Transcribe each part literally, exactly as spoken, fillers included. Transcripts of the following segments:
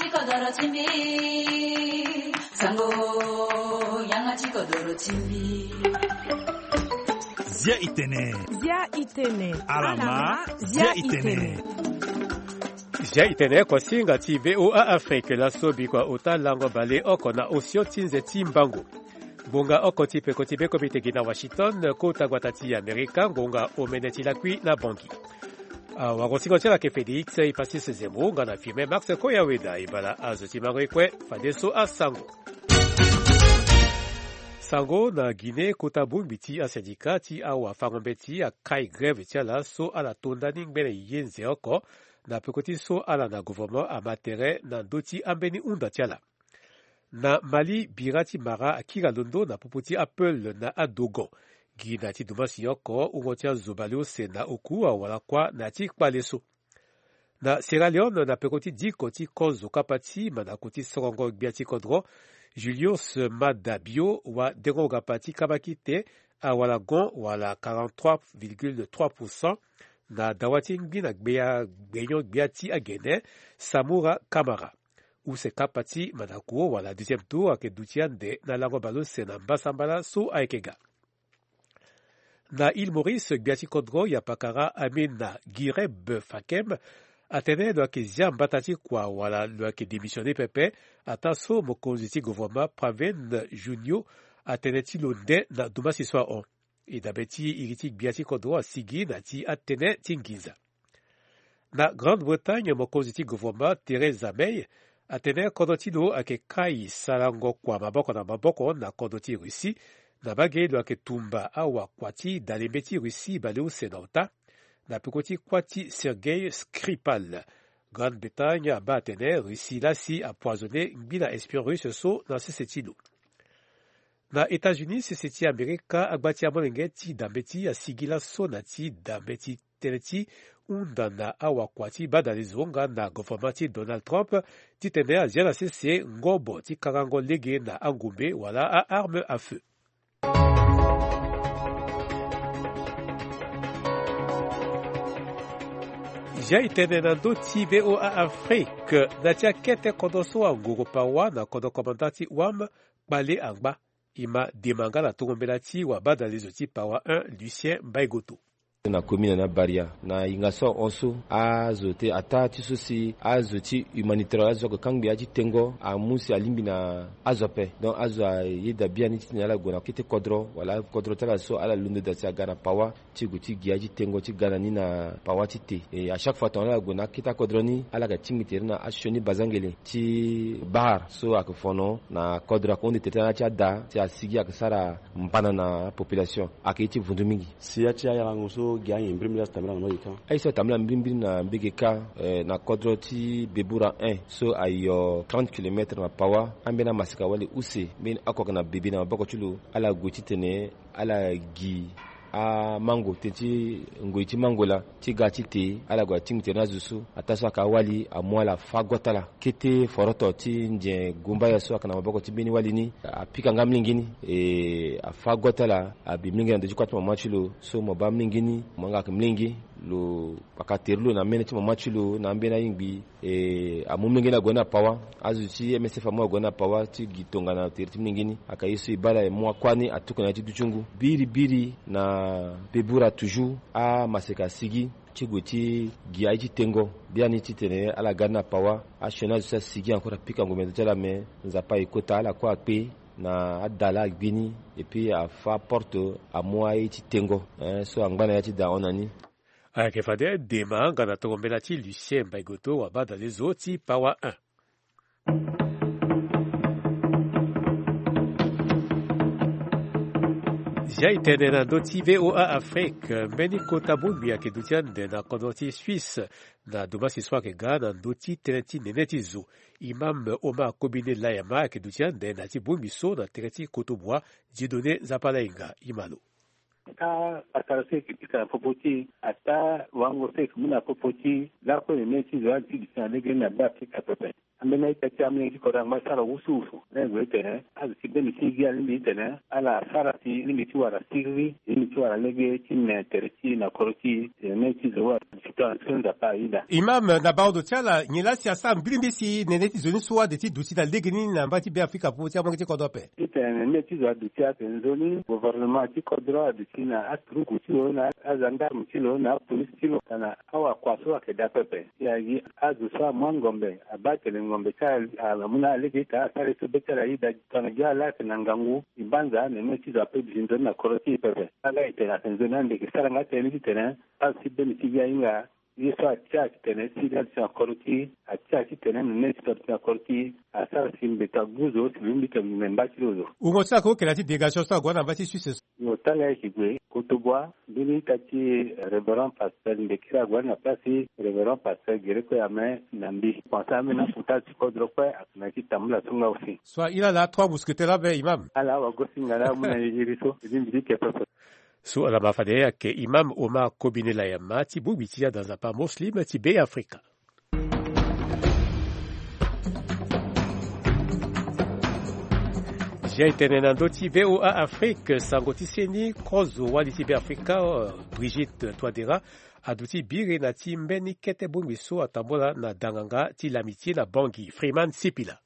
Kodoro ti mbi, sango, yanga ti kodoro ti mbi. Zia itene. Zia itene. Alama, zia itene. Zia itene oko singa ti V O A Afrique laso bikua ota lango bale oko na osio ti nze ti mbango. Ngonga oko ti peko ti be komite gi na Washington, kota gbata ti Amerika, ngonga omene ti lakui na Bangui. Awagosingo ti ala ke Félix Ipasis Zembo nga na Firmin Max Koyaweda, e bala azo ti mango e kue fadeso asango. Sango na Guinée, kota bongbi ti asindika ti awafango-mbeti akai grève ti ala so ala to ndani ngbene ye nze oko, na peko ti so ala na gouvernement ama tere na ndö ti ambeni hunda ti ala. Na Mali, bira ti mara akiri alondo na popo ti apeul na adogon. Gi na ya ti dumansi oko, wungo ti azo baleuse na oku awara kuâ na ya ti kpale so. Na Sierra Leone, na peko ti diko ti kozo kapa ti mandako ti sorongo gbia ti kodro, Julius Maada Bio, wadengo-gapa ti kabakite, awara gon wala quarante-trois virgule trois pour cent na dawa ti ngbi na gbia, gbenyo gbia ti agene, Samora Kamara. Use kapa ti mandako wala deuxième tour ayeke duti ande na lango baleuse na mbasambala so ayeke ga. Na Île Maurice, gbia ti kodro yapakara Amina Gireb Fakem atene lo yeke zia mbata ti kua wala lo yeke démissionner pepe, ataa so mokonzi ti gouvernement Pravind Jugnauth atene ti lo nde na dumansi so ahon. E dabe ti iri ti gbia ti kodro asigi na ya ti atënë ti nginza. Na Grande-Bretagne, mokonzi ti gouvernement Theresa May atene kodro ti lo ayeke kai sarango kua maboko na maboko na kodro ti Russie, na mbage lo yeke tumba awakua ti dalembe ti Russie baleuse na ota, na peko ti kuâ ti Sergei Skripal. Grande-Bretagne abaa atene Russie lasi apoisonner ngbi na espion russe so na sese ti lo. Na États-Unis, sese ti Amerika, agba ti amolenge ti da mbeti asigi laso na ti da mbeti tënë ti hunda na awakua ti badalezo nga na gouvernement ti Donald Trump, titene azia na sese ngobo ti karango lege na angombe wala a-arme à feu. Zia itene na ndö ti V O A Afrique, na ti akete kodro so angoro pawa na kodro komanda ti wam, kpale angba. E ma dema nga na tongo mbela ti wabadalezo ti pawa un, Lucien Mbaïgoto. Na commune na Baria, na hinga so ahon so, azo te ataa ti so si azo ti humanitaire, azo so ayeke kangbi aye ti tengo, amu si alingbi na azo ape. Donc azo ayeda biani titene ala gue na kete kodro wala kodro ti ala so ala londo daa si aga na pawa ti gue ti gi aye ti tengo ti ga na ni na pawa ti te. E à chaque fois tongana ala gue na akete akodro ni, ala yeke tingbi tere na asioni bazangele ti bahar so ayeke fono na kodro, ayeke hunde tere ti ala na ya ti ada si asigi ayeke sara mbana na population, ayeke ye ti vundu mingi. Si ya ti ayarango so gi anyen mbirimbiri azo tambula na mbage kâ. Aye so atambula mbirimbiri na mbage kâ, eh, na kodro ti Bebura un so ayo trente kilomètres na pawa, ambeni amaseka wali use mbeni oko ayeke na bebe na maboko ti lo, ala gue titene ala gi amango, tënë ti ngoi ti mango laa ti ga ti te, ala gue atingbi tere na azo so, ataa so ayeke awali amu ala fâ gota laa. Kete foroto ti nze gumbaya so ayeke na maboko ti mbeni wali ni apika nga molenge ni, e afâ gota laa, abi molenge na ndö ti kuâ ti mama ti lo so mo baa molenge ni, mo yanga ayeke molenge, lo kpaka tere ti lo na mene ti mama ti lo na ambeni ayingbi. E amu molenge ni ague ni na pawa. Azo ti M S F amu ague ni na pawa ti gi tongana tere ti molenge ni. Ayeke ye so e baa laa, e mu akuâ ni atuku na ya ti dutingo. Biribiri na Bebura toujours, amaseka asigi ti gue ti gi aye ti tengo. Biani titene ala ga ni na pawa, asioni azo so asigi encore apika ngombe na ndö ti ala, me Nzapa aye kota, ala kue akpe na ada laa agbi ni, et puis afâ porte amu aye ti tengo, eh, so angba na ya ti da ahon na ni. Ayeke fade dema nga na tongo mbela ti Lucien Mbaïgoto, wabadalezo ti pawa un. Zia itene na ndö ti V O A Afrique, mbeni kota bongbi ayeke duti ande na kodro ti Suisse na dumansi so ayeke ga na ndö ti tënë ti nene ti zo. Imam Omar Kobine Layama ayeke duti ande na ya ti bongbi so na tere ti kotobua, Dieudonné Nzapalainga. E ma lo. Ata asara so eke pika na popo ti e, ata wango so eke mu na popo ti e lakue na mê ti zo ade ti duti na lege ni na be afrika pepe. Ambeni a-ita ti ambeni ti kodro angba ti sara wusuwusu na e gue ti tene azo ti be mbi ti gi alingbi ti tene ala sara si lingbi ti wara siriri lingbi ti wara lege ti me tere ti e na kodro ti e. Tene mê ti zo wa ti tona so nzapa aida. Imam, na baodo ti ala nyen laa si asara mbirimbiri si nene ti zo ni so ade ti duti na lege ni na mba ti be afrika popo ti amolenge ti kodro ape? Ti tene nene ti zo aduti atene nzoni gouvernement ti kodro aduti na aturuku ti lo na azandarme ti lo na apolisi ti lo tana awakua so ayeke daa pepe. Si agi azo so amu angombe abaa tene ngombe ti ala amu na ala lege ita asara ye so be ti ala aye daa tongana gi ala ayeke na ngangu. E banza nene ti zo ape duti nzoni na kodro ti e pepe. Ala e tene ayeke nzoni ande eke sara nga tënë ni ti tene azo ti be ni ti gi ahinga. Ye so atia titene si la ti na koro ti atia titene mene ti so ti na koro ti asara si mbi ta guzo si mbi ta mbi mba ti lozo. Wungo ti la ko kela ti dégation so ague na mba ti suisse so. Yo tanga ye ki gue koto bua mbeni ita ti révérend pasteur ndekira ague na place ti révérend pasteur gere kue ame na mbi. Pensa ame na kota ti kodro kue akena ti tambula so nga aussi. So ila la trois mousquetaires la be imam. Ala wa gosi nga la mu na yiri so. Mbi mbi ke pepe. So ala ma fade ayeke imam Omar Kobine Layama ti bongbi ti adanzapa Muslim ti Be Afrika. Zia etene na ndö ti VOA Afrique sango ti seni kozo wali ti Be Afrika, euh, Brigitte Touadéra aduti biri na ti mbeni kete bongbi so atambola na danganga ti L'Amitié na Bangui. Freeman Sipila.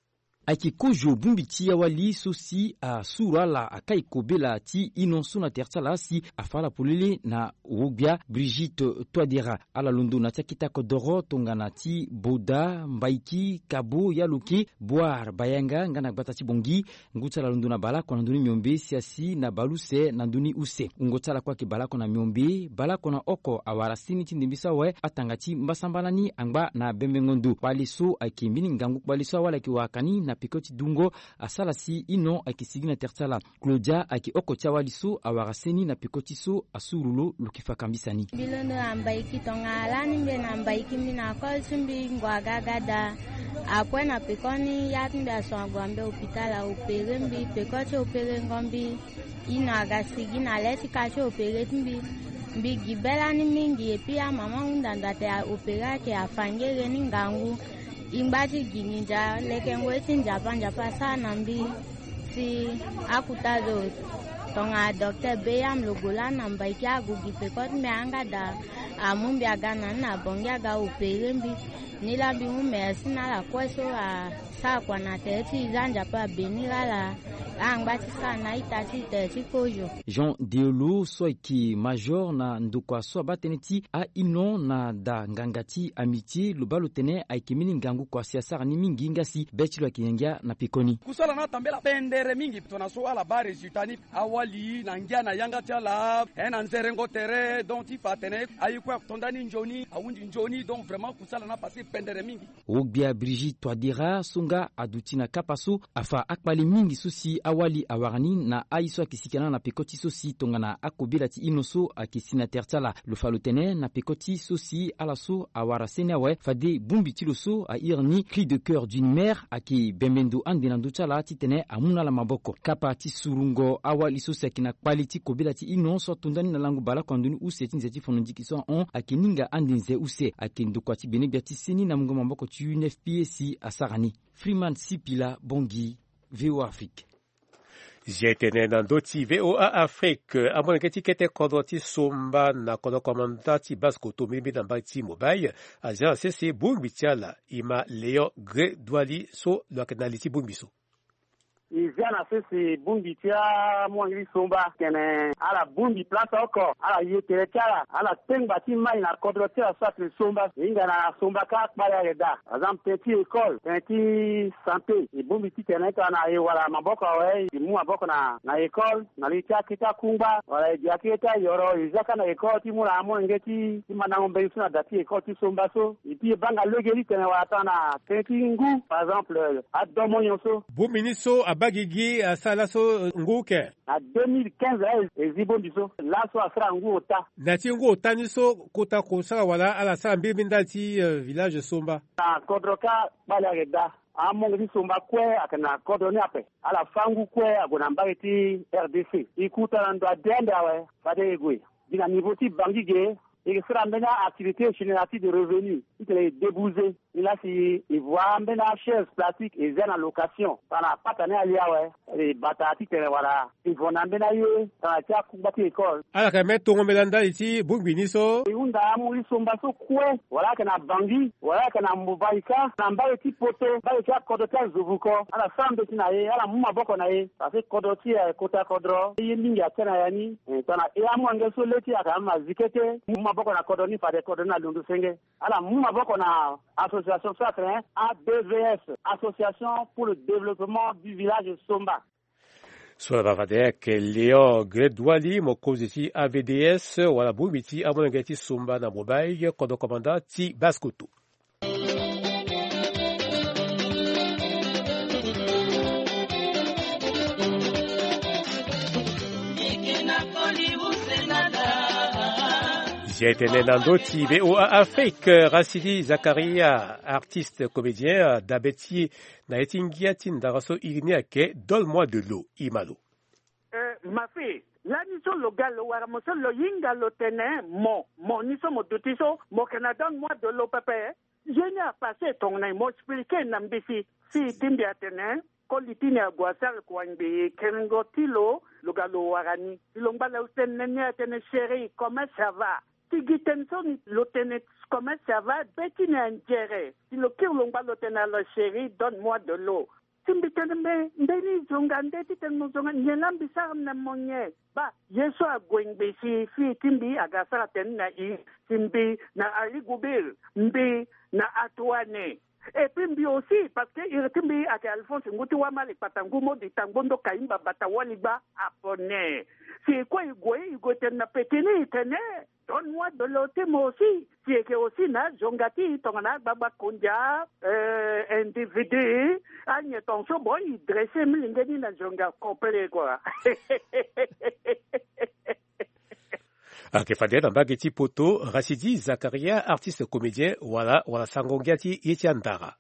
Ayeke kozo bongbi ti awali so si asuru ala akai kobela ti ino so na tere ti ala si afa ala polele na wogbia Brigitte Touadéra. Ala londo na ti akita kodoro tongana ti Boda, Mbaiki, Kabo, Yaloke, Boire, Bayanga nga na gbata ti Bangui. Ngu ti ala londo na baleoko na ndö ni miombe si asi na baleuse na ndö ni use. Wungo ti ala kue ayeke baleoko na miombe, baleoko na oko awara seni ti ndembe so awe atanga ti mbasambala ni angba na bembengo ndo. Kpale so ayeke mbeni ngangu kpale so awali ayeke wara ka ni na peko ti dungo asara si ino ayeke sigi na tere ti ala. Claudia ayeke oko ti awali so awara seni na peko ti so asuru lo lo yeke fa kambisa ni. Mbi londo na Mbaiki tongana lani mbi na Mbaiki mbi na kol ti mbi ngua ga ga daa. Apres na peko ni ya ti mbi aso ague na mbi hôpital a opéré mbi peko ti opéréngo mbi. Ino aga sigi na le ti ka ti opéré ti mbi. Mbi gi be lani mingi epui amama hunda ndo ate a opéré ayeke afa ngere ni ngangu. E ngba ti gi nginza leke ngoi ti nzapa nzapa asara na mbi. Si akuta zo tongana docteur Beyam lo gue lani na Mbaiki ague gi peko ti mbi ayanga daa. Amu mbi aga na ni na Bangui aga opéré mbi. Ni laa mbi mu merci na ala kue so asara kua na tere ti e za nzapa abénir ala. Angba ti sara na a-ita ti e tere ti kozo. Jean Deolo so ayeke major na ndokua so abaa tënë ti a-ino na da nganga ti Amitié lo baa lo tene ayeke mbeni ngangu kua si asara ni mingi nga si be ti lo ayeke ngia ngia na peko ni. Kusala ni atambela pendere mingi tongana so ala baa résultat ni. Awali na ngia na yanga ti ala. He na nzerengo tere donc ti fa atene aye kue ato ndani nzoni ahunzi nzoni donc vraiment kusala ni apasse pendere mingi. Wogbia Brigitte Touadéra so nga aduti na kapa so afa akpale mingi so si awali awara ni na aye so ayeke sika na ala na peko ti so si tongana akobela ti ino so ayeke si na tere ti ala. Lo fa lo tene na peko ti so si ala so awara seni awe fade bongbi ti lo so a iri ni cri de coeur d'une mère ayeke bembe ndo ande na ndö ti ala titene amu na ala maboko. Kapa ti surungo awali so si ayeke na kpale ti kobela ti ino so ato ndani na lango baleoko na ndö ni use ti nze ti fondo ndiki so ahon ayeke ninga ande nze use ayeke ndokua ti gbene gbia ti seni na mungo maboko ti U N F P A si asara ni. Freeman Sipila, Bangui, VOA Afrique. Zia etene na ndö ti VOA Afrique, amolenge ti kete kodro ti somba na kodro komanda ti base koto mbirimbiri na mbage ti Mobile azia na sese bongbi ti ala. E ma Léon Gré Douali so lo yeke na li ti bongbi so. E zia na sese bongbi ti amolenge ti somba tene ala bongbi place oko ala ye tere ti ala ala tengba ti mai na kodro ti ala so atene somba e hinga na somba kâ kpale ayeke daa. Par exemple tënë ti école tënë ti santé e bongbi titene tongana e wara maboko awe e mu maboko na na école na li ti akete akungba wala e gi akete ayoro e zia kâ na école ti mu na amolenge ti mandango mbeni so na da ti école ti somba so. Epui e baa nga lege titene wala tongana tënë ti ngu par exemple adomonyo so. Bongbi ni so abaa gigi asara laso ngu oke. Na deux mille quinze aye e zi bongbi so laso asara ngu ota. Na ya ti ngu ota ni so kota kosara wala ala sara mbirimbiri ndali ti village somba. Na kodro kâ kpale ayeke daa. Amolenge ti Somba kue ayeke na kodro ni ape. Ala fâ ngu kue ague na mbage ti R D C. E kota na ndo ade ande awe, fade e gue gi na niveau ti Bangui ge. E yeke sara ambeni a-activité génératrice de revenu titene e débouser. Nilaa si e voa ambeni a-chaise plastique e zia na location tongana pata ni aye awe. E bata titene wala e vo na ambeni aye tongana ti akungba ti école. Ala yeke même tongo mbela ndali ti bongbi ni so. E hunda amu ti Somba so kue, wala ayeke na Bangui, wala ayeke na Mbobaïka, na mbage ti Poto, mbage ti akodro ti azo vuko, ala sara mbeti na e, ala mu maboko na e. Parce que kodro ti e ayeke kota kodro ye mingi atia na ya ni. Eh, tongana e amolenge so le ti e ayeke ama zi kete, mu maboko na kodro ni, fade kodro ni alondo senge. Ala mu maboko na association so atene A D V S, Association pour le Développement du Village Somba. So ala baa fade ayeke Léon Gredwali, mokonzi ti A V D S, wala bongbi ti amolenge ti Somba na Mbobaï, kodro komanda ti Basse-Kotto. Zia e tene na ndö ti V O A Afrique, Rachidi Zakaria, artiste comédien, dabe ti e na ye ti ngia ti ndara so iri ni ayeke Donne-moi de l'eau. E ma lo. Eh, ma fille, lani so lo ga lo wara mo so lo hinga lo tene mo, mo ni so mo duti so, mo yeke na donne-moi de l'eau pepe. Ye ni apasse tongana nyen? Mo expliquer na mbeti. Fille ti mbi atene, koli ti ni ague asara kua ngbii, kengo ti lo, lo ga lo wara ni. Si lo ngba lo tene ni atene, chérie, comment ça va? Si gi tënë so ni lo tene, comment ça va, be ti ni anzere. Si lo kiri lo ngba lo tene, alors chérie, donne-moi de l'eau. Si mbi tene, mais mbeni zonga nde titene mo zonga nyen laa mbi sara na mo nyen? Baa, ye so ague ngbii si fille ti mbi aga asara tënë na e, si mbi na Aligoubil, mbi na Atoine. Et puis mbi aussi, parce que iri ti mbi ayeke Alphonse ngu ti Wamali kpata ngu Modi Tangbo Ndoka Imba Bata Waligba Apone. Si e kue e gue, e gue tene na peti ni e tene, donne-moi de l'eau ti mo aussi. Si e yeke aussi na azonga ti e tongana agbagba kondia, euh, individu, anyen tongaso bon, e dresse milenge ni na zonga complet quoi. Ayeke fade na mbage ti Poto, Rachidi Zakaria, artiste comédien, wala, wala sango ngia ti ye ti andara.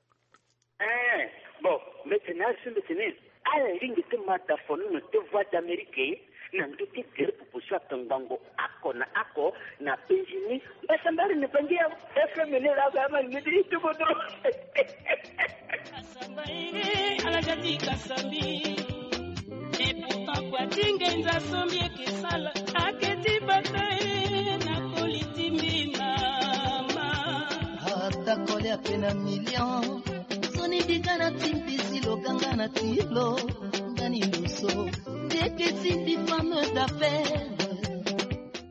Eh, bon, mbeti ni azo, mbeti ni ala lingbi ti ma da fono na ti Voix d'Amérique na ndö ti gere pupu so ayeke ngbongo oko na oko na penzi ni. Mbasambari ni Bangui ya F M ni laa, ama lingbi ti tuku dro. Kasamba ere, ala ga ti kasamba. Et pourtant kua ti ngenza so mbi yeke sala ayeke ti bata e na koli ti mbi mama. Ata koli ape na million. Nzoni mbi ga na ti mbi si lo ga nga na ti lo. Nga ni ndo so. Ndeke ti mbi femme d'affaires.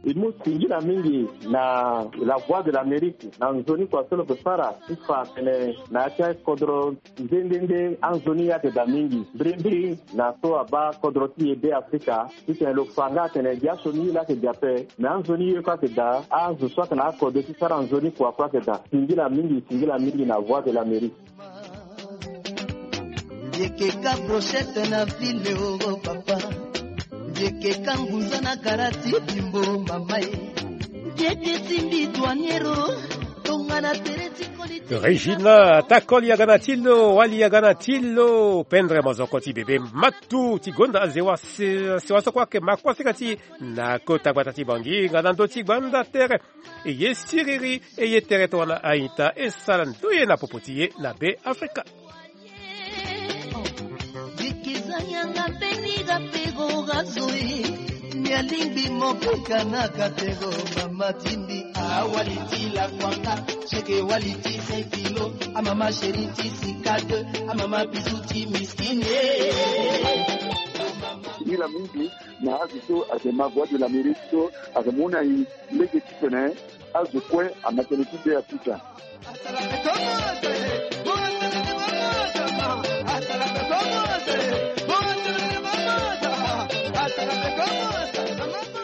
E mu singila mingi na La Voix de l'Amérique na nzoni kua so lo yeke sara ti fa atene na ya ti akodro nde nde nde anzoni ayeke daa mingi. Mbirimbiri na so abaa kodro ti e Beafrika titene lo fa nga atene gi asioni ye laa ayeke daa ape, me anzoni ye kue ayeke daa, azo so ayeke na akodro ti sara nzoni kua kue ayeke daa. Singila mingi, singila mingi na Voix de l'Amérique. Mbi yeke ka brochette na ville, oh papa. Mbi yeke ka ngunza na gara ti bimbo, mama e. Mbi yeke ti mbi douanier, oh. Tongana tere ti koli ti Regina, ata koli aga na ti lo, wali aga na ti lo, pendre mozoko ti bebe matu ti gonda azewa se-, sewa so kue ayeke ma kue asika ti na kota gbata ti Bangui nga na ndö ti gbanda tere. E ye siriri, e ye tere tongana a-ita, e sara ndoye na popo ti e na Beafrika. Bikizanya nga mbeni ga pego ga zo e. Mbi alingbi mo peka na ga pego, mama ti mbi. Awali ti la kwanga, cheke wali ti cinq kilos. Amama chérie ti sika deux, amama bisou ti miskine. Singila mingi na azo so ayeke ma Voix de l'Amérique so ayeke mu na e lege titene azo kue ama tënë ti Beafrika.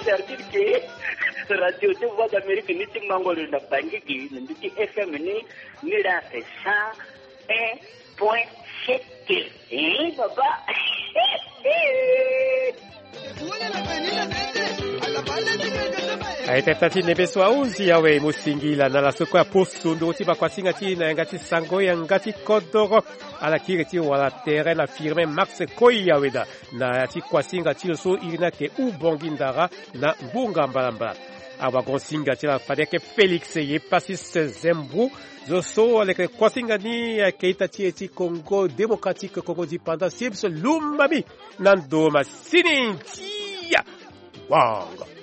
C'est-à-dire que Radio ti Voix d'Amérique ni ti mango lo na Bangui gi na ndö ti F M ni, ni la cent un point sept. Eh, papa. Aye tata ti nembe so ahunzi awe mo singila na la so kue aposo ndoro ti bakuasinga ti na yanga ti sango yanga ti kodoro. Ala kiri ti wala tere na firme max koi awe daa na ya ti kuasinga ti lo so iri ni ayeke ubongi ndara na ngbonga mbalambala. Awagon singa ti ala fade ayeke Félix Yepasis Zembou. Zo so aleke kuasinga ni ayeke ita ti e ti Congo démocratique, Congo dipanda sims lumami na ndo masini. Tia wanga.